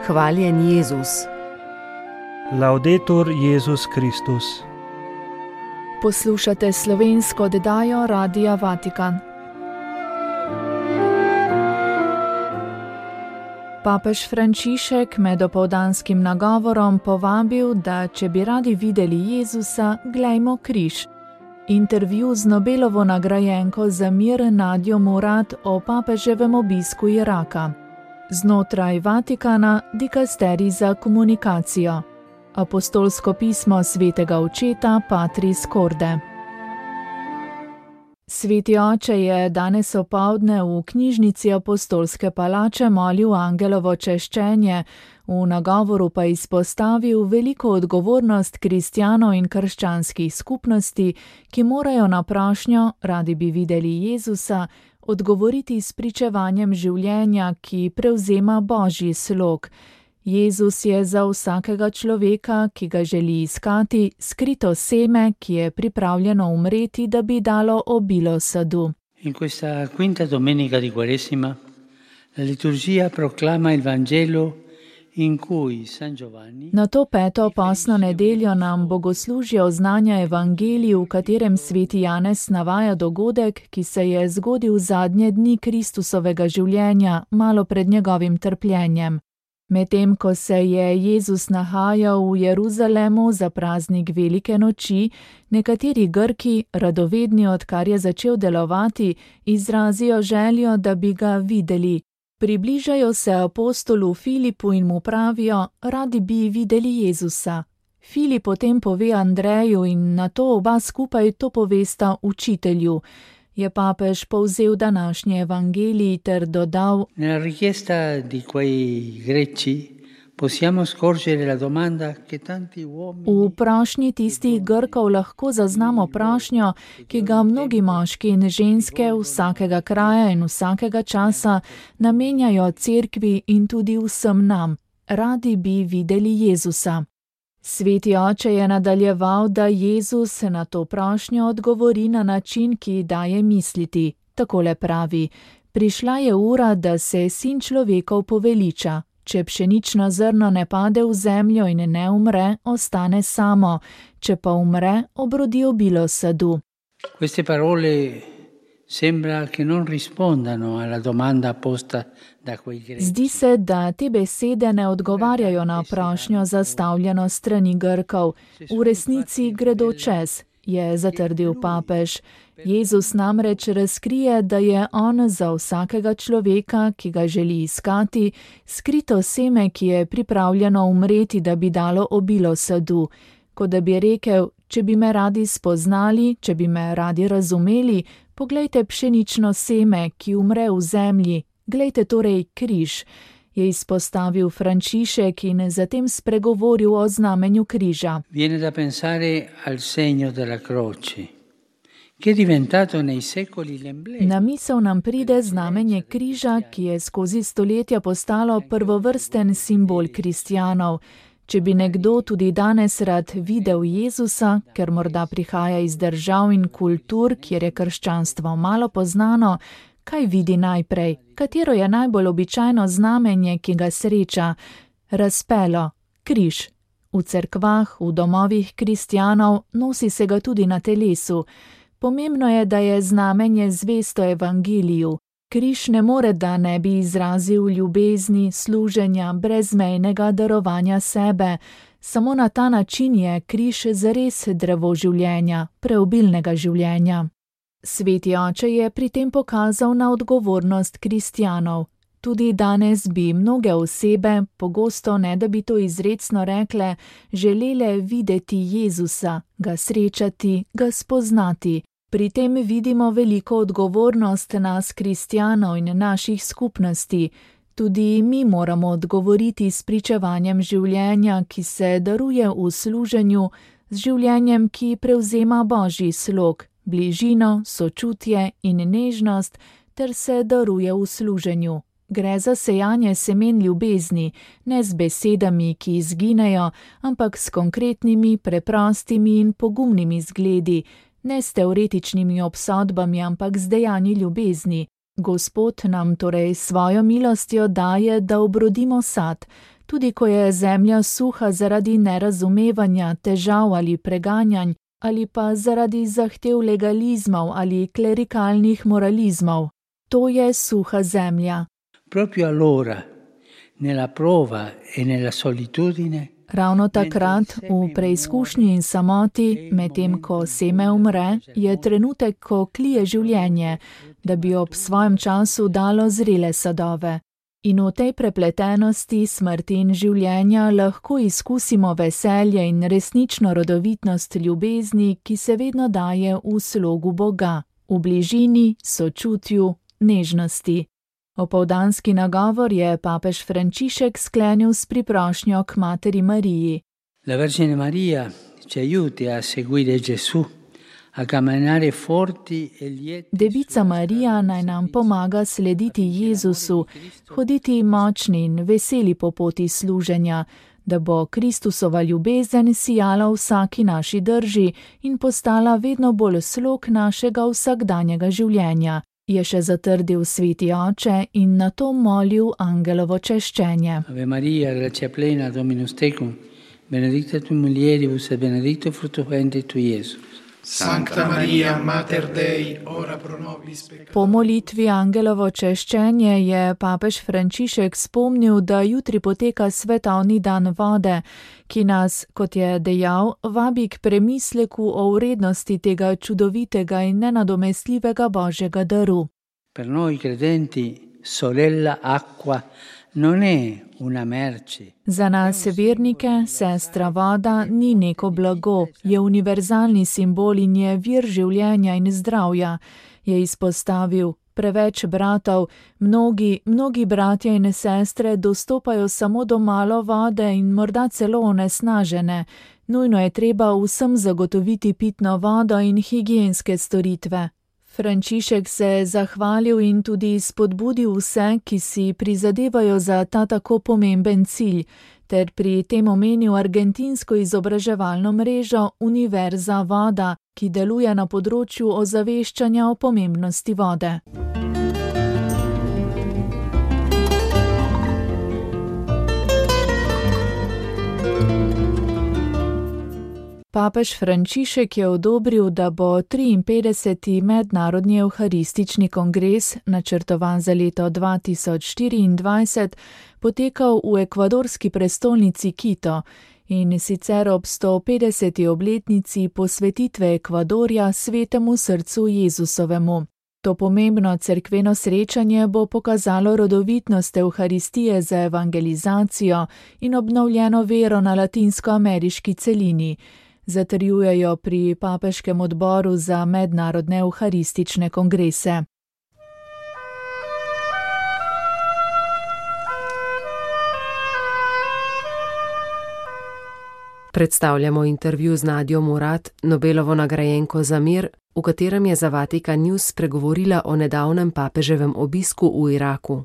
Hvaljen Jezus. Laudetur Jezus Kristus. Poslušate slovensko oddajo Radia Vatikan. Papež Frančišek med opoldanskim nagovorom povabil, da če bi radi videli Jezusa, glejmo križ. Intervju z Nobelovo nagrajenko za mir Nadjo Murad o papeževem obisku Iraka. Znotraj Vatikana dikasterij za komunikacijo. Apostolsko pismo svetega očeta Patris Corde. Sveti oče je danes opoldne v knjižnici Apostolske palače molil angelovo češčenje, v nagovoru pa izpostavil veliko odgovornost kristjanov in krščanskih skupnosti, ki morajo na prošnjo, radi bi videli Jezusa, odgovoriti s pričevanjem življenja, ki prevzema Božji slog. Jezus je za vsakega človeka, ki ga želi iskati, skrito seme, ki je pripravljeno umreti, da bi dalo obilo sadu. In questa quinta domenica di Quaresima, la liturgia proclama il Vangelo in cui San Giovanni. Na to peto postno nedeljo nam bogoslužje oznanja evangelij, v katerem sveti Janez navaja dogodek, ki se je zgodil zadnje dni Kristusovega življenja, malo pred njegovim trpljenjem. Medtem ko se je Jezus nahajal v Jeruzalemu za praznik Velike noči, nekateri Grki, radovedni, odkar je začel delovati, izrazijo željo, da bi ga videli. Približajo se apostolu Filipu in mu pravijo, radi bi videli Jezusa. Filip potem pove Andreju in nato oba skupaj to povesta učitelju. Je papež povzel današnji evangelij ter dodal: Nella richiesta di quei greci possiamo scorgere la domanda che tanti uomini. V prošnji tistih Grkov lahko zaznamo prošnjo, ki ga mnogi moški in ženske vsakega kraja in vsakega časa namenjajo cerkvi in tudi vsem nam. Radi bi videli Jezusa. Sveti oče je nadaljeval, da Jezus na to prošnjo odgovori na način, ki daje misliti. Takole pravi: prišla je ura, da se Sin človekov poveliča. Če pšenično zrno ne pade v zemljo in ne umre, ostane samo. Če pa umre, obrodi obilo sadu. Queste parole sembra che non rispondano alla domanda posta da quei greci. Zdi se, da te besede ne odgovarjajo na prošnjo zastavljeno strani Grkov. V resnici gredo čez, je zatrdil papež. Jezus namreč razkrije, da je on za vsakega človeka, ki ga želi iskati, skrito seme, ki je pripravljeno umreti, da bi dalo obilo sadu. Kot da bi rekel, če bi me radi spoznali, če bi me radi razumeli, poglejte pšenično seme, ki umre v zemlji, glejte torej križ, je izpostavil Frančišek in zatem spregovoril o znamenju križa. Viene da pensare al segno della croce, che è diventato nei secoli l'emblema. Na misel nam pride znamenje križa, ki je skozi stoletja postalo prvovrsten simbol kristjanov. Če bi nekdo tudi danes rad videl Jezusa, ker morda prihaja iz držav in kultur, kjer je krščanstvo malo poznano, kaj vidi najprej? Katero je najbolj običajno znamenje, ki ga sreča? Razpelo, križ. V cerkvah, v domovih kristjanov, nosi se ga tudi na telesu. Pomembno je, da je znamenje zvesto evangeliju. Križ ne more, da ne bi izrazil ljubezni, služenja, brezmejnega darovanja sebe. Samo na ta način je križ zares drevo življenja, preobilnega življenja. Sveti oče je pri tem pokazal na odgovornost kristjanov. Tudi danes bi mnoge osebe, pogosto ne da bi to izrecno rekle, želele videti Jezusa, ga srečati, ga spoznati. Pri tem vidimo veliko odgovornost nas kristjanov in naših skupnosti. Tudi mi moramo odgovoriti s pričevanjem življenja, ki se daruje v služenju, z življenjem, ki prevzema Božji slog, bližino, sočutje in nežnost, ter se daruje v služenju. Gre za sejanje semen ljubezni, ne z besedami, ki izginejo, ampak s konkretnimi, preprostimi in pogumnimi zgledi, ne s teoretičnimi obsodbami, ampak z dejanji ljubezni. Gospod nam torej svojo milostjo daje, da obrodimo sad. tudi ko je zemlja suha zaradi nerazumevanja, težav ali preganjanj, ali pa zaradi zahtev legalizmov ali klerikalnih moralizmov. To je suha zemlja. Proprio allora, nella prova e nella solitudine, Ravno takrat, v preizkušnji in samoti, medtem ko seme umre, je trenutek, ko klije življenje, da bi ob svojem času dalo zrele sadove. In v tej prepletenosti smrti in življenja lahko izkusimo veselje in resnično rodovitnost ljubezni, ki se vedno daje v slogu Boga, v bližini, sočutju, nežnosti. Opoldanski nagovor je papež Frančišek sklenil s priprošnjo k materi Mariji. La Vergine Maria ci aiuti a seguire Gesù, a camminare forti e lieti. Devica Marija naj nam pomaga slediti Jezusu, hoditi močni in veseli po poti služenja, da bo Kristusova ljubezen sijala v vsaki naši drži in postala vedno bolj slog našega vsakdanjega življenja, je še zatrdil sveti oče in nato molil angelovo češčenje. Ave Maria, grazia plena, Dominus tecum, benedicta tu mulieribus et benedictus fructus ventris tui, Iesus. Sancta Maria, Mater Dei, ora pro nobis peccatoribus. Po molitvi angelovo češčenje je papež Frančišek spomnil, da jutri poteka svetovni dan vode, ki nas, kot je dejal, vabi k premisleku o vrednosti tega čudovitega in nenadomestljivega Božjega daru. Per noi credenti, sorella acqua non è una merce. Za nas vernike sestra voda ni neko blago, je univerzalni simbol in je vir življenja in zdravja, je izpostavil. Preveč bratov, mnogi bratje in sestre dostopajo samo do malo vode in morda celo onesnažene. Nujno je treba vsem zagotoviti pitno vodo in higienske storitve. Frančišek se je zahvalil in tudi spodbudil vse, ki si prizadevajo za ta tako pomemben cilj, ter pri tem omenil argentinsko izobraževalno mrežo Univerza voda, ki deluje na področju ozaveščanja o pomembnosti vode. Papež Frančišek je odobril, da bo 53. mednarodni evharistični kongres, načrtovan za leto 2024, potekal v ekvadorski prestolnici Quito in sicer ob 150. obletnici posvetitve Ekvadorja Svetemu srcu Jezusovemu. To pomembno cerkveno srečanje bo pokazalo rodovitnost evharistije za evangelizacijo in obnovljeno vero na latinskoameriški celini, zatrjujejo pri Papeškem odboru za mednarodne evharistične kongrese. Predstavljamo intervju z Nadjo Murad, Nobelovo nagrajenko za mir, v katerem je za Vatikan News spregovorila o nedavnem papeževem obisku v Iraku.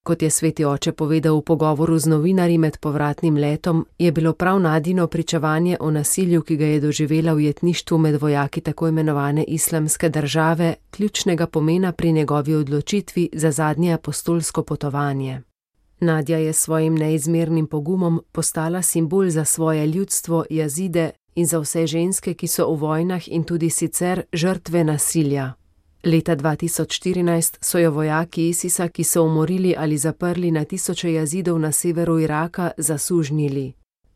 Kot je sveti oče povedal v pogovoru z novinarji med povratnim letom, je bilo prav Nadino pričevanje o nasilju, ki ga je doživela v jetništvu med vojaki tako imenovane islamske države, ključnega pomena pri njegovi odločitvi za zadnje apostolsko potovanje. Nadja je s svojim neizmernim pogumom postala simbol za svoje ljudstvo, Jazide in za vse ženske, ki so v vojnah in tudi sicer žrtve nasilja. Leta 2014 so jo vojaki ISIS-a, ki so umorili ali zaprli na tisoče Jazidov na severu Iraka, zasužnjili.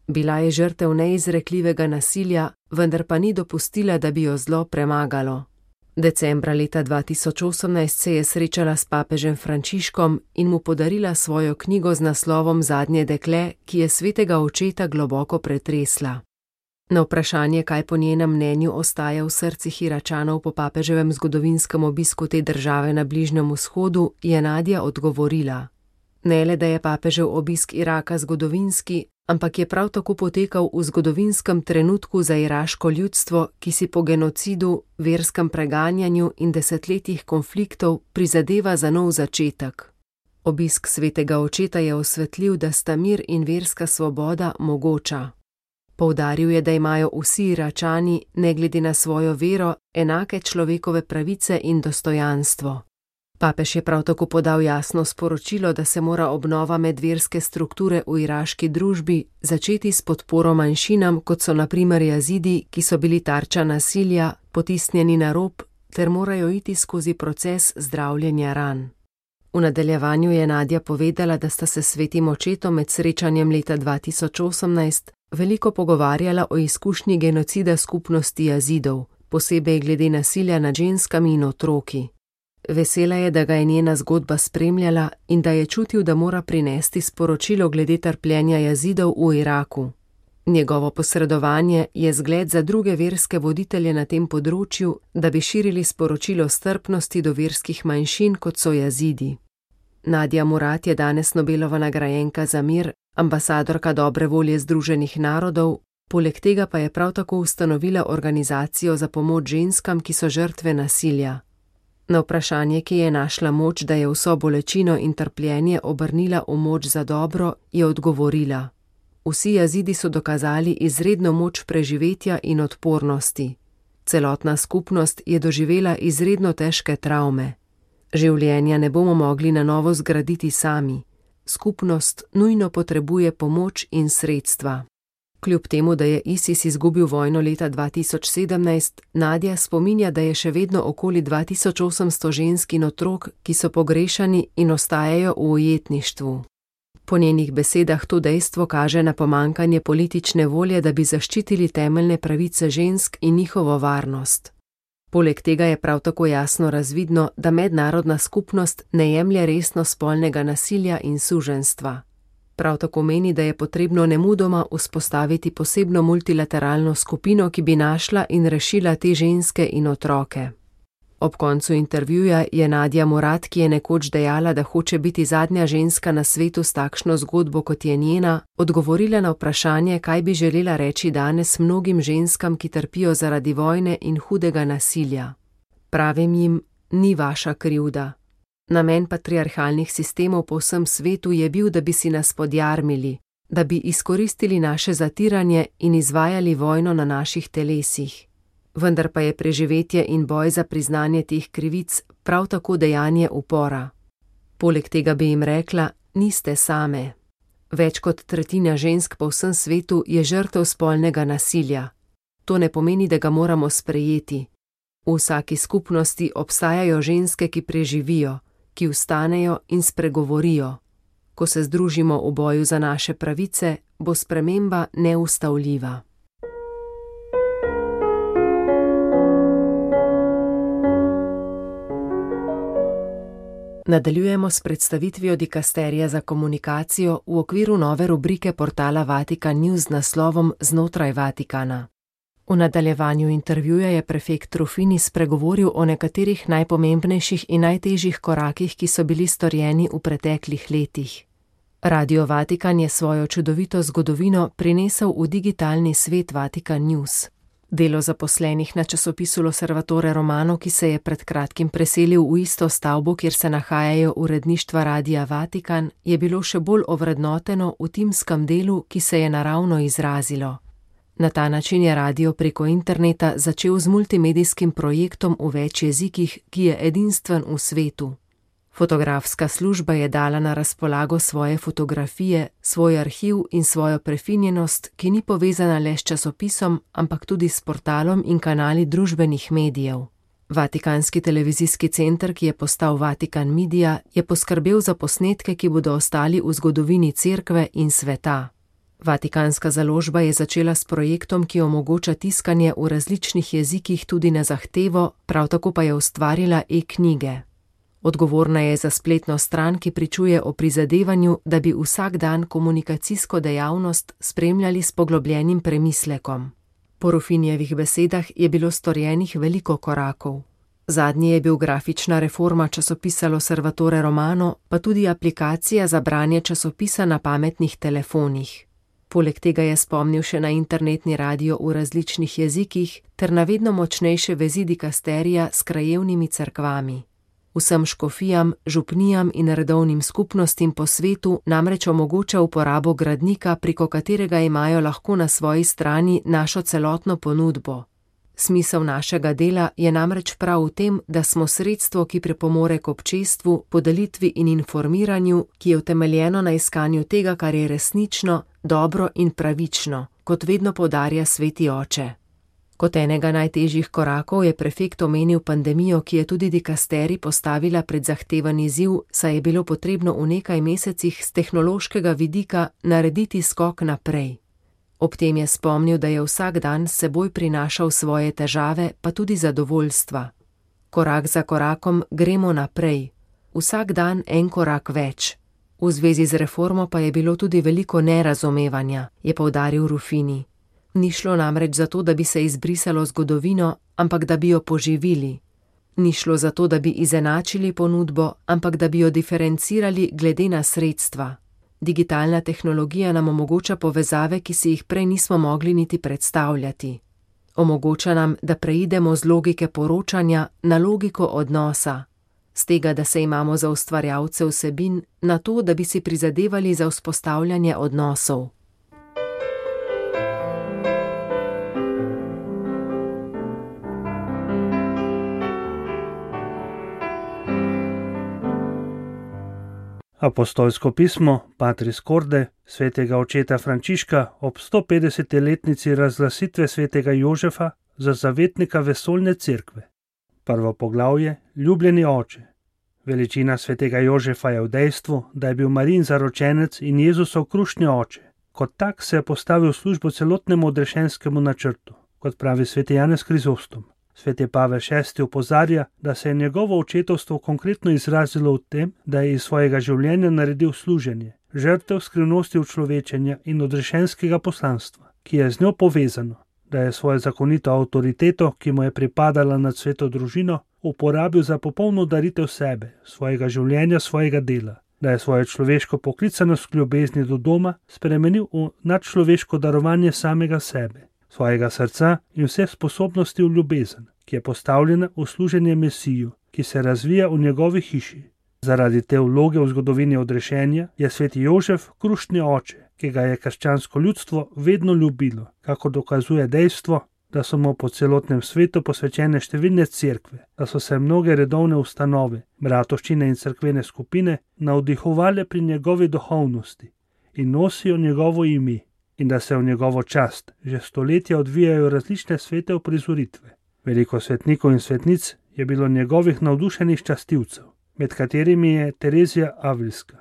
Bila je žrtev neizrekljivega nasilja, vendar pa ni dopustila, da bi jo zlo premagalo. Decembra leta 2018 se je srečala s papežem Frančiškom in mu podarila svojo knjigo z naslovom Zadnje dekle, ki je svetega očeta globoko pretresla. Na vprašanje, kaj po njenem mnenju ostaja v srcih Iračanov po papeževem zgodovinskem obisku te države na Bližnjem vzhodu, je Nadja odgovorila: Ne le, da je papežev obisk Iraka zgodovinski, ampak je prav tako potekal v zgodovinskem trenutku za iraško ljudstvo, ki si po genocidu, verskem preganjanju in desetletjih konfliktov prizadeva za nov začetek. Obisk svetega očeta je osvetlil, da sta mir in verska svoboda mogoča. Poudaril je, da imajo vsi Iračani, ne glede na svojo vero, enake človekove pravice in dostojanstvo. Papež je prav tako podal jasno sporočilo, da se mora obnova medverske strukture v iraški družbi začeti s podporo manjšinam, kot so na primer Jazidi, ki so bili tarča nasilja, potisnjeni na rob, ter morajo iti skozi proces zdravljenja ran. V nadaljevanju je Nadja povedala, da sta se s svetim očetom med srečanjem leta 2018 veliko pogovarjala o izkušnji genocida skupnosti Jazidov, posebej glede nasilja nad ženskami in otroki. Vesela je, da ga je njena zgodba spremljala in da je čutil, da mora prinesti sporočilo glede trpljenja Jazidov v Iraku. Njegovo posredovanje je zgled za druge verske voditelje na tem področju, da bi širili sporočilo strpnosti do verskih manjšin, kot so Jazidi. Nadia Murad je danes Nobelova nagrajenka za mir, ambasadorka dobre volje Združenih narodov, poleg tega pa je prav tako ustanovila organizacijo za pomoč ženskam, ki so žrtve nasilja. Na vprašanje, ki je našla moč, da je vso bolečino in trpljenje obrnila v moč za dobro, je odgovorila: Vsi Jazidi so dokazali izredno moč preživetja in odpornosti. Celotna skupnost je doživela izredno težke travme. Življenja ne bomo mogli na novo zgraditi sami. Skupnost nujno potrebuje pomoč in sredstva. Kljub temu, da je ISIS izgubil vojno leta 2017, Nadja spominja, da je še vedno okoli 2800 žensk in otrok, ki so pogrešani in ostajajo v ujetništvu. Po njenih besedah to dejstvo kaže na pomanjkanje politične volje, da bi zaščitili temeljne pravice žensk in njihovo varnost. Poleg tega je prav tako jasno razvidno, da mednarodna skupnost ne jemlje resno spolnega nasilja in suženjstva. Prav tako meni, da je potrebno nemudoma vzpostaviti posebno multilateralno skupino, ki bi našla in rešila te ženske in otroke. Ob koncu intervjuja je Nadia Murad, ki je nekoč dejala, da hoče biti zadnja ženska na svetu s takšno zgodbo, kot je njena, odgovorila na vprašanje, kaj bi želela reči danes mnogim ženskam, ki trpijo zaradi vojne in hudega nasilja. Pravim jim, ni vaša krivda. Namen patriarhalnih sistemov po vsem svetu je bil, da bi si nas podjarmili, da bi izkoristili naše zatiranje in izvajali vojno na naših telesih. Vendar pa je preživetje in boj za priznanje teh krivic prav tako dejanje upora. Poleg tega bi jim rekla, niste same. Več kot tretjina žensk po vsem svetu je žrtev spolnega nasilja. To ne pomeni, da ga moramo sprejeti. V vsaki skupnosti obstajajo ženske, ki preživijo, ki vstanejo in spregovorijo. Ko se združimo v boju za naše pravice, bo sprememba neustavljiva. Nadaljujemo s predstavitvijo dikasterija za komunikacijo v okviru nove rubrike portala Vatikan News z naslovom Znotraj Vatikana. V nadaljevanju intervjuja je prefekt Rufini spregovoril o nekaterih najpomembnejših in najtežjih korakih, ki so bili storjeni v preteklih letih. Radio Vatikan je svojo čudovito zgodovino prinesel v digitalni svet Vatikan News. Delo zaposlenih na časopisu L'Osservatore Romano, ki se je pred kratkim preselil v isto stavbo, kjer se nahajajo uredništva Radia Vatikan, je bilo še bolj ovrednoteno v timskem delu, ki se je naravno izrazilo. Na ta način je radio preko interneta začel z multimedijskim projektom v več jezikih, ki je edinstven v svetu. Fotografska služba je dala na razpolago svoje fotografije, svoj arhiv in svojo prefinjenost, ki ni povezana le s časopisom, ampak tudi s portalom in kanali družbenih medijev. Vatikanski televizijski center, ki je postal Vatikan Media, je poskrbel za posnetke, ki bodo ostali v zgodovini cerkve in sveta. Vatikanska založba je začela s projektom, ki omogoča tiskanje v različnih jezikih tudi na zahtevo, prav tako pa je ustvarila e-knjige. Odgovorna je za spletno stran, ki pričuje o prizadevanju, da bi vsak dan komunikacijsko dejavnost spremljali s poglobljenim premislekom. Po Rufinjevih besedah je bilo storjenih veliko korakov. Zadnji je bil grafična reforma časopisa L'Osservatore Romano, pa tudi aplikacija za branje časopisa na pametnih telefonih. Poleg tega je spomnil še na internetni radio v različnih jezikih ter na vedno močnejše vezi dikasterija s krajevnimi cerkvami. Vsem škofijam, župnijam in redovnim skupnostim po svetu namreč omogoča uporabo gradnika, preko katerega imajo lahko na svoji strani našo celotno ponudbo. Smisel našega dela je namreč prav v tem, da smo sredstvo, ki pripomore k občestvu, podelitvi in informiranju, ki je utemeljeno na iskanju tega, kar je resnično, dobro in pravično, kot vedno poudarja sveti oče. Kot enega najtežjih korakov je prefekt omenil pandemijo, ki je tudi dikasterij postavila pred zahteven izziv, saj je bilo potrebno v nekaj mesecih z tehnološkega vidika narediti skok naprej. Ob tem je spomnil, da je vsak dan s seboj prinašal svoje težave, pa tudi zadovoljstva. Korak za korakom gremo naprej. Vsak dan en korak več. V zvezi z reformo pa je bilo tudi veliko nerazumevanja, je poudaril Ruffini. Ni šlo namreč za to, da bi se izbrisalo zgodovino, ampak da bi jo poživili. Ni šlo za to, da bi izenačili ponudbo, ampak da bi jo diferencirali glede na sredstva. Digitalna tehnologija nam omogoča povezave, ki si jih prej nismo mogli niti predstavljati. Omogoča nam, da preidemo z logike poročanja na logiko odnosa. Z tega, da se imamo za ustvarjalce vsebin, na to, da bi si prizadevali za vzpostavljanje odnosov. Apostolsko pismo Patris Corde svetega očeta Frančiška ob 150-letnici razglasitve svetega Jožefa za zavetnika vesoljne cerkve. Prvo poglavje: Ljubljeni oče. Veličina svetega Jožefa je v dejstvu, da je bil Marijin zaročenec in Jezusov krušni oče. Kot tak se je postavil v službo celotnemu odrešenskemu načrtu, kot pravi sveti Janez Krizostom. Sveti Pavel VI opozarja, da se je njegovo očetovstvo konkretno izrazilo v tem, da je iz svojega življenja naredil služenje, žrtev skrivnosti učlovečenja in odrešenskega poslanstva, ki je z njo povezano, da je svojo zakonito avtoriteto, ki mu je pripadala nad sveto družino, uporabil za popolno daritev sebe, svojega življenja, svojega dela, da je svojo človeško poklicanost k ljubezni do doma spremenil v nadčloveško darovanje samega sebe, svojega srca in vse sposobnosti v ljubezen, ki je postavljena v služenje Mesiju, ki se razvija v njegovi hiši. Zaradi te vloge v zgodovini odrešenja je sveti Jožef krušni oče, ki ga je krščansko ljudstvo vedno ljubilo, kako dokazuje dejstvo, da so mu po celotnem svetu posvečene številne cerkve, da so se mnoge redovne ustanove, bratovščine in cerkvene skupine navdihovale pri njegovi duhovnosti in nosijo njegovo ime, in da se v njegovo čast že stoletja odvijajo različne svete uprizoritve. Veliko svetnikov in svetnic je bilo njegovih navdušenih častilcev, med katerimi je Terezija Avilska,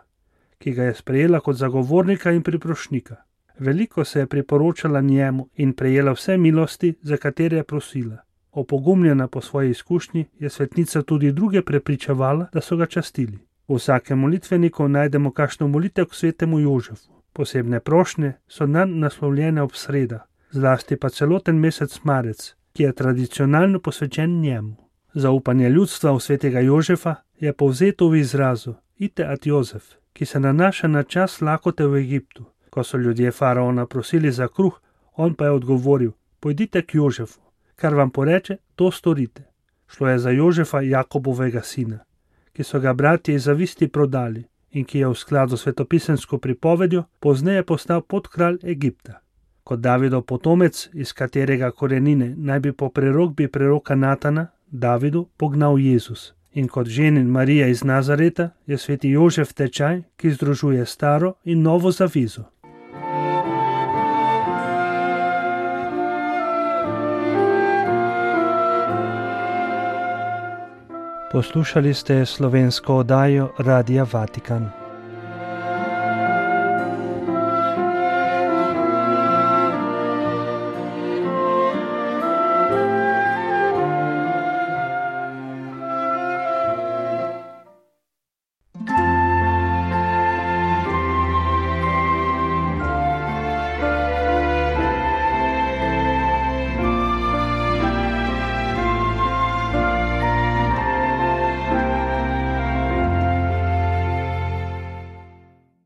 ki ga je sprejela kot zagovornika in priprošnika. Veliko se je priporočala njemu in prejela vse milosti, za katere je prosila. Opogumljena po svoji izkušnji je svetnica tudi druge prepričevala, da so ga častili. V vsakem molitveniku najdemo kakšno molitev k svetemu Jožefu. Posebne prošnje so nanj naslovljene ob sredah, zlasti pa celoten mesec marec, ki je tradicionalno posvečen njemu. Zaupanje ljudstva v svetega Jožefa je povzeto v izrazu Ite ad Jozef, ki se nanaša na čas lakote v Egiptu. Ko so ljudje faraona prosili za kruh, on pa je odgovoril: pojdite k Jožefu, kar vam poreče, to storite. Šlo je za Jožefa, Jakobovega sina, ki so ga bratje iz zavisti prodali in ki je v skladu s svetopisemsko pripovedjo pozneje postal podkralj Egipta. Kot Davidov potomec, iz katerega korenine naj bi po prerokbi preroka Natana Davidu pognal Jezus. In kot ženin Marija iz Nazareta je sveti Jožef tečaj, ki združuje staro in novo zavezo. Poslušali ste slovensko oddajo Radia Vatikan.